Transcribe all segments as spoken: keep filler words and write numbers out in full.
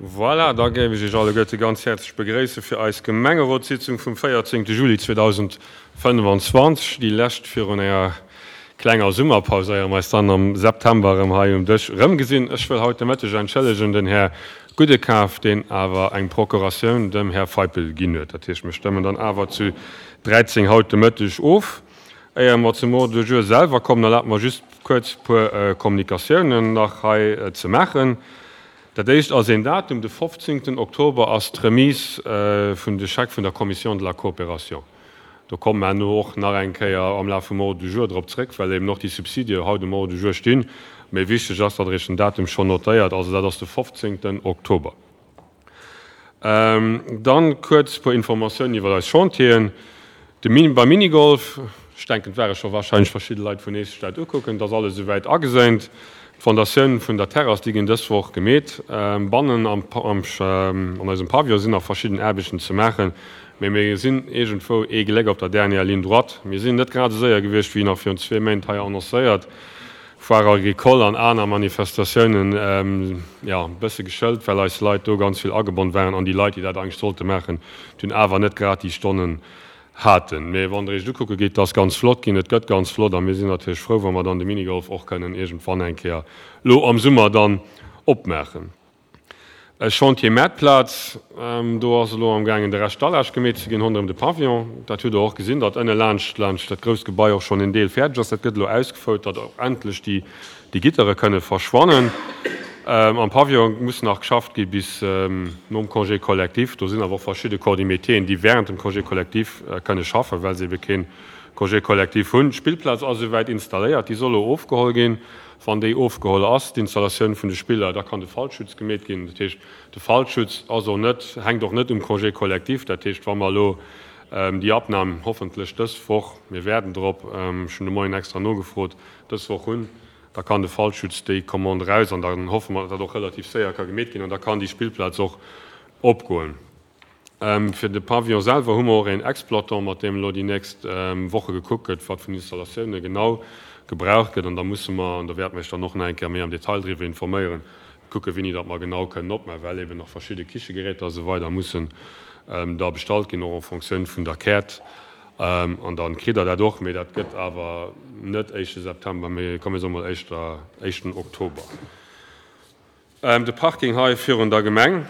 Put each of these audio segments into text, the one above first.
Voilà, da géif ech Iech alleguerte ganz häerzlech begréisse fir eis Gemengerotssitzung vum véierzéngte Juli zweedausendfënnefenzwanzeg, déi lescht virun enger klenger Summerpaus, éier mer eis dann am September erëm hei um Dësch erëmgesinn. Ech wëll haut de Mëtteg entschëllegen den Här Gudekaf, deen awer eng Procuratioun dem Här Feipel ginn huet. Dat heescht, mir stëmmen dann awer zu dräizéng haut de Mëtteg of. Éier mer zum Ordre du jour selwer kommen, erlaabt mer just kuerz e puer Kommunikatiounen nach hei ze maachen. Dat éischt ass een Datum, de fofzéngten Oktober ass d'Remise vun de Schecke vun der Commission de la Coopération. Do komme mer herno och nach eng Kéier am Laf vum Ordre du jour drop zréck, well eben och déi Subsidie haut um Ordre du jour stinn. Méi wichteg ass, datt Der Iech den Datum schonn notéiert, also dat ass de fofzéngten Oktober. Dann kuerz e puer Informatiounen iwwer eis Chantieren. De Mini, beim Minigolf, ech denken, et ware scho wahrscheinlech verschidde Leit vun Eech sech dat ukucken, et ass alles esouwäit ageséint. D'Fondatioun vun der Terrass, déi ginn dës Woch gemeet. Bannen am, am, an eisem Pavillon sinn nach verschidden Aarbechten ze maachen, mee mir sinn iergendwou ee Gléck op der dernière ligne droite. Mir sinn net grad esou séier gewiescht, wéi nach virun zwee Méint hei annoncéiert. Foire agricole an aner Manifestatiounen, jo, e bësse geschëlt, well eis Leit do ganz vill agebonn waren an déi Leit, déi dat eigentlech sollte maachen, dunn awer net grad déi Stonnen haten. Mee wann Der Iech et ukucke gitt, et ass ganz flott ginn, et gëtt ganz flott a mir sinn natierlech frou, wa mer dann de Minigolf och kënnen iergendwann eng Kéier elo am Summer dann opmaachen. E Chantier Maartplaz, do ass elo amgaangen de Rescht Dallage gemeet ze ginn ronderëm de Pavillon. Dat hutt Der och gesinn, datt ënne laanscht laanscht dat grousst Gebai och schonn en Deel fäerdeg ass. Dat gëtt elo ausgefouert, datt och endlech déi déi Gittere kënne verschwannen. Am Pavillon muss nach geschafft gi bis nom Congé collectif. Do sinn awer och verschidde Corps de métieren, déi während dem Congé collectif kënne schaffen, well se ebe kee Congé collectif hunn. D'Spillplaz ass esouwäit installéiert, déi soll elo ofgeholl ginn. Wann déi ofgeholl ass, d'Installatioun vun de Spiller, da kann de Fallschutz gemeet ginn. Dat heescht, de Fallschutz ass och net, hänkt och net um Congé collectif. Dat heescht, wa mer elo déi Abnam hoffentlech dës Woch, mir wäerden drop, ech hunn de Moien extra nogefrot, dës Woch hunn, da kann de Fallschutz déi Commande eraus an dann hoffe mer, datt dat och relativ séier ka gemeet ginn an da kann déi Spillplaz och opgoen. Fir de Pavillon selwer hu mer och een Exploitant, mat deem elo déi nächst Woche gekuckt gëtt, wat vun Installatioune genau gebraucht gëtt an da musse mer, an do wäerte mer Iech dann och nach eng Kéier méi am Detail driwwer informéieren, kucke wéini datt mer genau kënnen opmaachen, well eben nach verschidde Kichegeräter a sou weider mussen da bestallt ginn, och en Fonctioun vun der Käert. An da kritt Der dat och, mee dat gëtt awer net éischte September, mee komm mir soe mol éischter éischten Oktober. De Parking hei virun der Gemeng,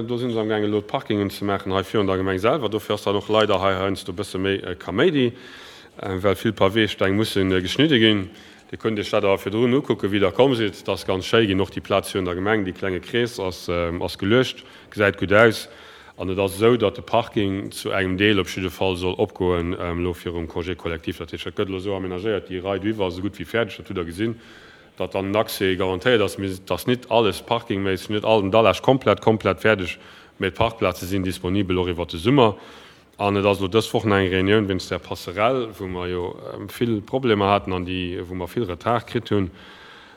do si se amgaangen elo d'Parkingen ze maachen hei virun der Gemeng selwer. Dofir ass dann och leider hei heiansdo e bësse méi Kaméidi, well vill Paweesteng musse geschnidde ginn. Dir kënnt Iech dat awer virdrun ukucken, wéi Der komm sidd. Et ass ganz schéi ginn, och déi Plaz virun der Gemeng, dee klenge Krees ass geluecht, gesäit gutt aus. An et ass esou, datt de Parking zu engem Deel op jidde Fall soll opgoen elo virum Congé collectif. Dat heescht, dat gëtt elo esou amenagéiert, déi Rei doiwwer ass esou gutt wéi fäerdeg, dat hutt Der gesinn, datt dann den Accès garantéiert ass. Mee et ass nit alles parkingméisseg, net all den Dallage komplett, komplett fäerdeg, mee d'Parkplaze sinn disponibel och iwwert de Summer. An et ass elo dës Woch nach eng Reunioun wéinst där Passerelle, wou mer jo vill Problemer haten an déi, wou mer vill Retard kritt hunn.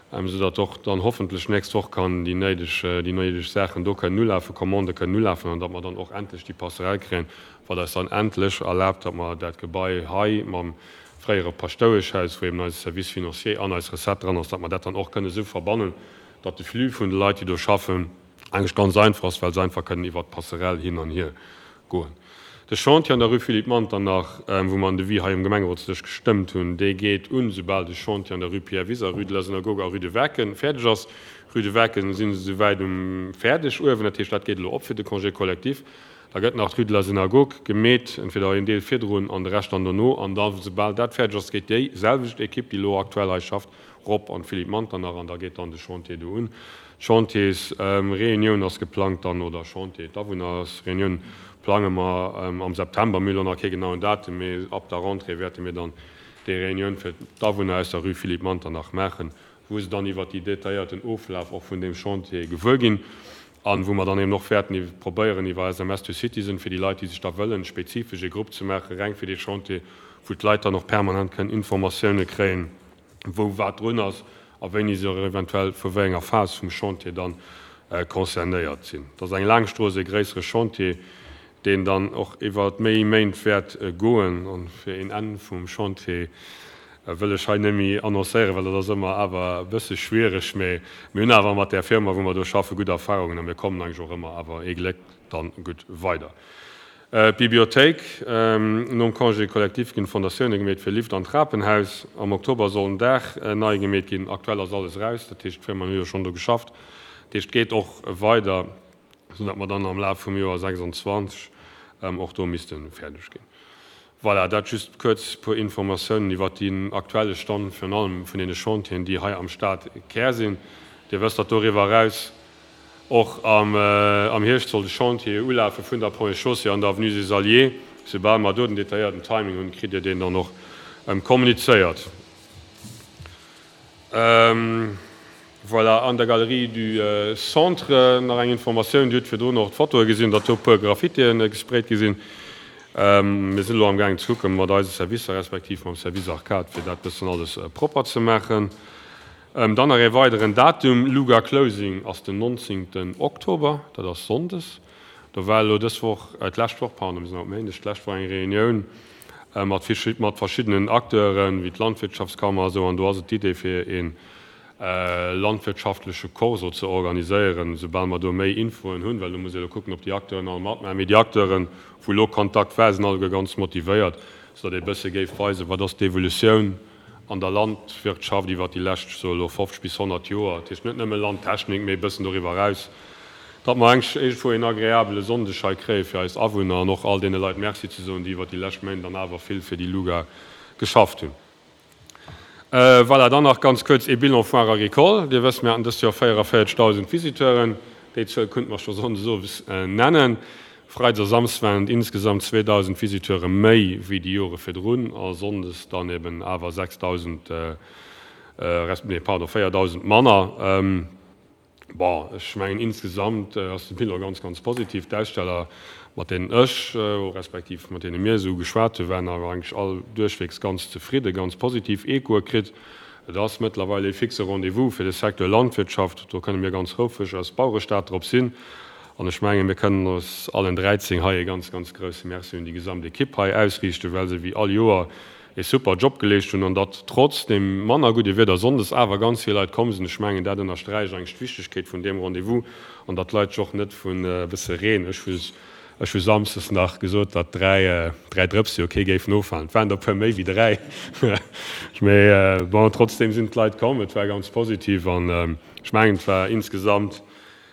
Esou datt och dann hoffentlech nächst Woch kann déi néideg, déi néideg Saachen do kënnen ulafen, Commandë kënnen ulafen an datt mer dann och endlech déi Passerelle kréien, wat eis dann endlech erlaabt, datt mer dat Gebai hei mam fréiere Paschtoueschhaus, wou eben eise Service financier an eis Recette dran ass, datt mer dat dann och kënnen esou verbannen, datt de Flux vun de Leit, déi do schaffen, eigentlech ganz einfach ass, well se einfach kënnen iwwert d'Passerelle hin an hier goen. De Chantier an der Rue Philippe Manternach, wou mer en Devis hei um Gemengerotsdësch gestëmmt hunn, dee geet un, soubal de Chantier an der Rue Pierre Wiser, Rue de la Synagogue a Rue de Werken fäerdeg ass. Rue de Werken si se souwäit um fäerdeg uewen, dat heescht, dat geet elo op fir de Congé collectif. Da gëtt nach d'Rue de la Synagogue gemeet, entweder een Deel virdrun an de Rescht dann dono. An da soubal dat fäerdeg ass, geet déi selwecht Ekipp, déi elo aktuell hei schafft, rop an d'Philippe Manternach an da geet dann de Chantier do un. D'Chantiersreunioun ass geplangt dann, oder Chantier, d'Awunnersreunioun plange mer am September. Mir hu lo nach kee genauen Datum, mee ab der Rentrée wäerte mir dann déi Reunioun fir d'Awunner aus der Rue Philippe Manternach maachen, wou se dann iwwert déi detailléierten Oflaf och vun deem Chantier gewuer ginn an wou mer dann eben och wäerten probéieren iwwer S M S to Citizen fir déi Leit, déi sech da wëllen, spezifesch ee Grupp ze maachen, reng fir dee Chantier, wou d'Leit dann och permanent kënnen Informatioune kréien, wou wat drun ass a wéini se och eventuell vu wéi enger Phas vum Chantier dann concernéiert sinn. Et ass eng laang Strooss, ee gréissere Chantier, deen dann och iwwer méi Méint wäert goen. An fir een Enn vum Chantier Wëll ech hei net méi annoncéieren, well dat ass ëmmer awer e bësse schwiereg, mee mir hunn awer mat där Firma, wou mer do schaffen, gutt Erfahrungen a mir kommen eigentlech och ëmmer awer ee Gléck dann gutt weider. D'Bibliothéik, Nom Congé collectif ginn d'Fondatioune gemeet fir Lift an Trapenhaus. Am Oktober soll den Daach nei gemeet ginn. Aktuell ass alles eraus, dat heescht d'Firmaen hu jo schonn do geschafft. Dat heescht et geet och weider, soudatt mer dann am Laf vum Joer sechsundzwanzeg och do misste fäerdeg ginn. Voilà, dat just kuerz e puer Informatiounen iwwert deen aktuelle Stand, virun allem vun deene Chantieren, déi hei am Stadkär sinn. Dir wësst, datt doriwwer eraus och am Hierscht soll de Chantier ulafe vun der Ponts et Chaussées an der Avenue des Alliés. Soubal mer do den detailléierten Timing hunn, kritt Dir deen dann och kommunizéiert. Voilà, an der Galerie du Centre nach eng Informatioun, Dir hutt virdrun och d'Fotoe gesinn, datt do e puer Graffitien gesprayt gi sinn. Mir sinn elo amgaangen ze kucke mat eise Servicer respektiv mam Service Arcade, fir dat bëssen alles propper ze maachen. Dann nach ee weideren Datum, Luga Closing ass den nonzéngten Oktober, dat ass sonndes. Do war elo dës Woch, d'lescht Woch, pardon, mir sinn haut Méindeg, d'lescht Woch eng Reunioun mat mat verschiddenen Acteuren, wéi d'Landwirtschaftskammer a sou, an do ass et d'Idee fir ee landwirtschaftleche Corso ze organiséieren, soubal mer do méi Infoen hunn, well do muss ee elo kucken, ob déi Acteuren all matmaachen. Mee déi Acteuren, wou elo Kontakt war, sinn alleguer ganz motivéiert, soudatt ee bësse géif weisen, wat ass d'Evolutioun an der Landwirtschaft iwwert déi lescht, ech soe elo, fofzeg bis honnert Joer. Dat heescht net nëmme Landtechnik, mee e bëssen doriwwer eraus, datt mer eng iergendwou een agreabele Sonndeg hei kréie fir eis Awunner an och all deene Leit Merci ze soen, déi iwwert déi lescht Méint dann awer vill fir déi Luga geschafft hunn. Voilà, dann nach ganz kuerz ee Bilan Foire Agricole. Dir wësst, mir haten dëst Joer véierevierzeghtausend Visiteuren. Déi Zuel kunnte mer scho sonndes owes nennen. Freides a Samsdes waren et insgesamt zweedausend Visiteure méi wéi déi Jore virdrun a sonndes dann eben awer sechsdausend, resp. Nee, pardon, véierdausend manner. Bon, ech mengen insgesamt ass de Bilan ganz, ganz positiv. D'Aussteller, mat deenen ech, respektiv mat deene mir esou geschwat hunn, waren awer eigentlech all duerchweegs ganz zefridden, ganz positiv Echoe kritt. Et ass mëttlerweil ee fixe Rendez-vous fir de Secteur Landwirtschaft. Do kënne mir ganz houfreg als Bauerestad drop sinn. An ech mengen, mir kënnen eis allen dräizéng hei e ganz, ganz grousse Merci un déi gesamt Ekipp hei ausriichten, well se wéi all Joer ee super Job geleescht hunn an datt trotz deem manner gudde Wieder sonndes awer ganz vill Leit komm sinn. Ech mengen, dat ënnersträicht eigentlech d'Wichtegkeet vun deem Rendez-vous an datt d'Leit sech och net vun e bësse Reen, ech hu ech hu samsdes nach gesot, datt dräi dräi Drëpse jo kee géifen offalen, et waren der e puer méi wéi dräi, mee bon, trotzdeem sinn d'Leit komm, et war ganz positiv an ech mengen, et war insgesamt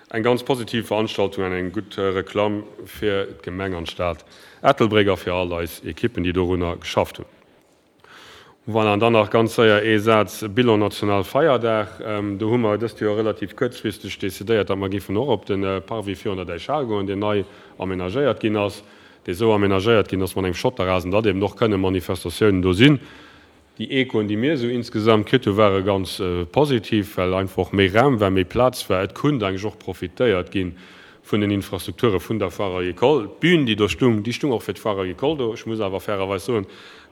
eng ganz positiv Veranstaltung an eng gutt Reklamm fir d'Gemeng an d'Stad Ettelbréck a fir all eis Ekippen, déi dorunner geschafft hunn. Voilà, an dann nach ganz séier ee Saz, Bilan Nationalfeierdag. Do hu mer dëst Joer relativ kuerzfristeg decidéiert, datt mer géifen och op de Parvis virun der Däichhal goen, deen nei amenagéiert ginn ass, dee sou amenagéiert ginn ass mat engem Schotterrasen, datt eben och kënne Manifestatiounen do sinn. Déi Echoen, déi mir esou insgesamt kritt hu ware ganz positiv, well einfach och méi Raum war, méi Plaz war. Et kunnt eigentlech och profitéiert gi vun den Infrastrukture vun der Foire Agricole. D'Bün, déi do stung, déi stung och fir d'Foire Agricole do. Ech muss awer fairerweis soen,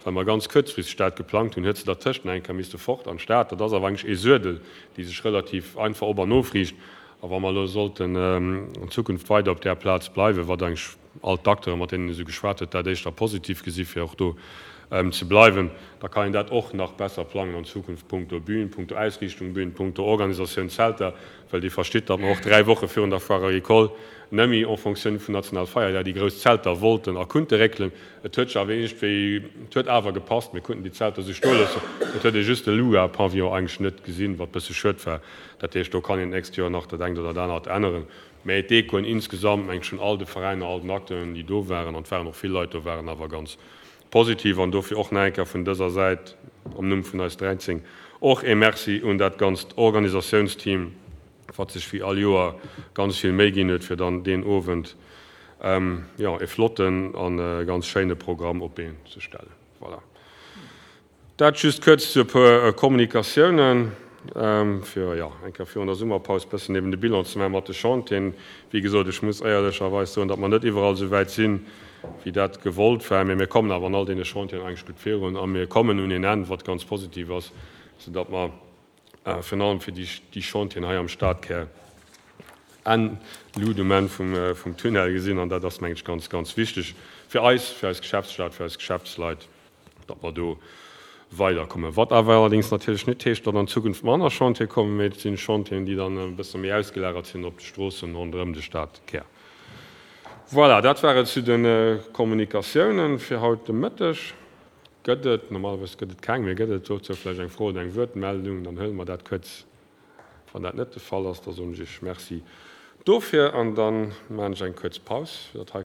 well mer ganz kuerzfristeg dat geplangt hunn, huet se dertëscht nach eng Kéier misste fort an d'Stad. Dat ass awer eigentlech ee Suedel, déi sech relativ einfach op an ofriicht. A wa mer elo sollten an Zukunft weider op där Plaz bleiwen, wat eigentlech all d'Acteuren, mat deenen een esou geschwat huet, dat éischter positiv gesi fir och do ze bleiwen, da kann een dat och nach besser plangen an Zukunft punkto Bühn, punkto Ausriichtung Bühn, punkto Organisatioun Zelter, well Dir verstitt, datt mer och dräi Woche virun der Foire Agricole nëmme en fonctioun vum Nationalfeierdag déi grouss Zelter wollten a kunnte réckelen. Et huet sech awer iergendwéi, et huet awer gepasst, mir kunnten déi Zelter esou stoe loossen. Et huet ee just de Luga-Pavillon eigentlech net gesinn, wat bësse schued war. Dat heescht, do kann een d'nächst Joer nach dat engt oder dat anert änneren. Mä d'Echoen insgesamt, mengen ech, vun all de Veräiner, all den Acteuren, déi do waren, an et waren och vill Leit do, waren awer ganz positiv. An dofir och nach eng Kéier vun dëser Säit, am Numm vun eis dräizéng, och ee Merci un dat ganzt Organisatiounsteam, wat sech wéi all Joer ganz vill Méi ginn huet, fir dann deen Owend, jo, ee flotten a ganz schéine Programm op d'Been ze stellen. Voilà. Dat just kuerz zu e puer Kommunikatiounen, fir, jo, eng Kéier virun der Summerpaus bëssen eben de Bilan ze maachen mat de Chantieren. Wéi gesot, ech muss éierlecherweis soen, datt mer net iwwerall esou wäit sinn, wéi dat gewollt war, mä mir kommen awer an all deene Chantieren eigentlech gutt virun a mir kommen un een Enn, wat ganz positiv ass, soudatt mer virun allem fir déi Chantieren hei am Stadkär Enn Lut um Enn vum Tunnel gesinn. An dat ass, mengen ech, ganz, ganz wichteg fir eis, fir eis Geschäftsstad, fir eis Geschäftsleit, datt mer do weiderkommen. Wat awer allerdéngs natierlech net heescht, datt an Zukunft manner Chantiere kommen, mee et sinn Chantieren, déi dann e bësse méi ausgelagert sinn op d'Stroossen ronderëm de Stadkär. Voilà, dat war et zu de Kommunikatiounen fir haut de Mëtteg. Gëtt et, normalerweis gëtt et keng, mee gëtt et dozou vläicht eng Fro oder eng Wuertmeldung, dann huele mer dat kuerz. Wann dat net de Fall ass, da soen ech Iech Merci dofir an da maachen ech eng kuerz Paus, fir datt hei.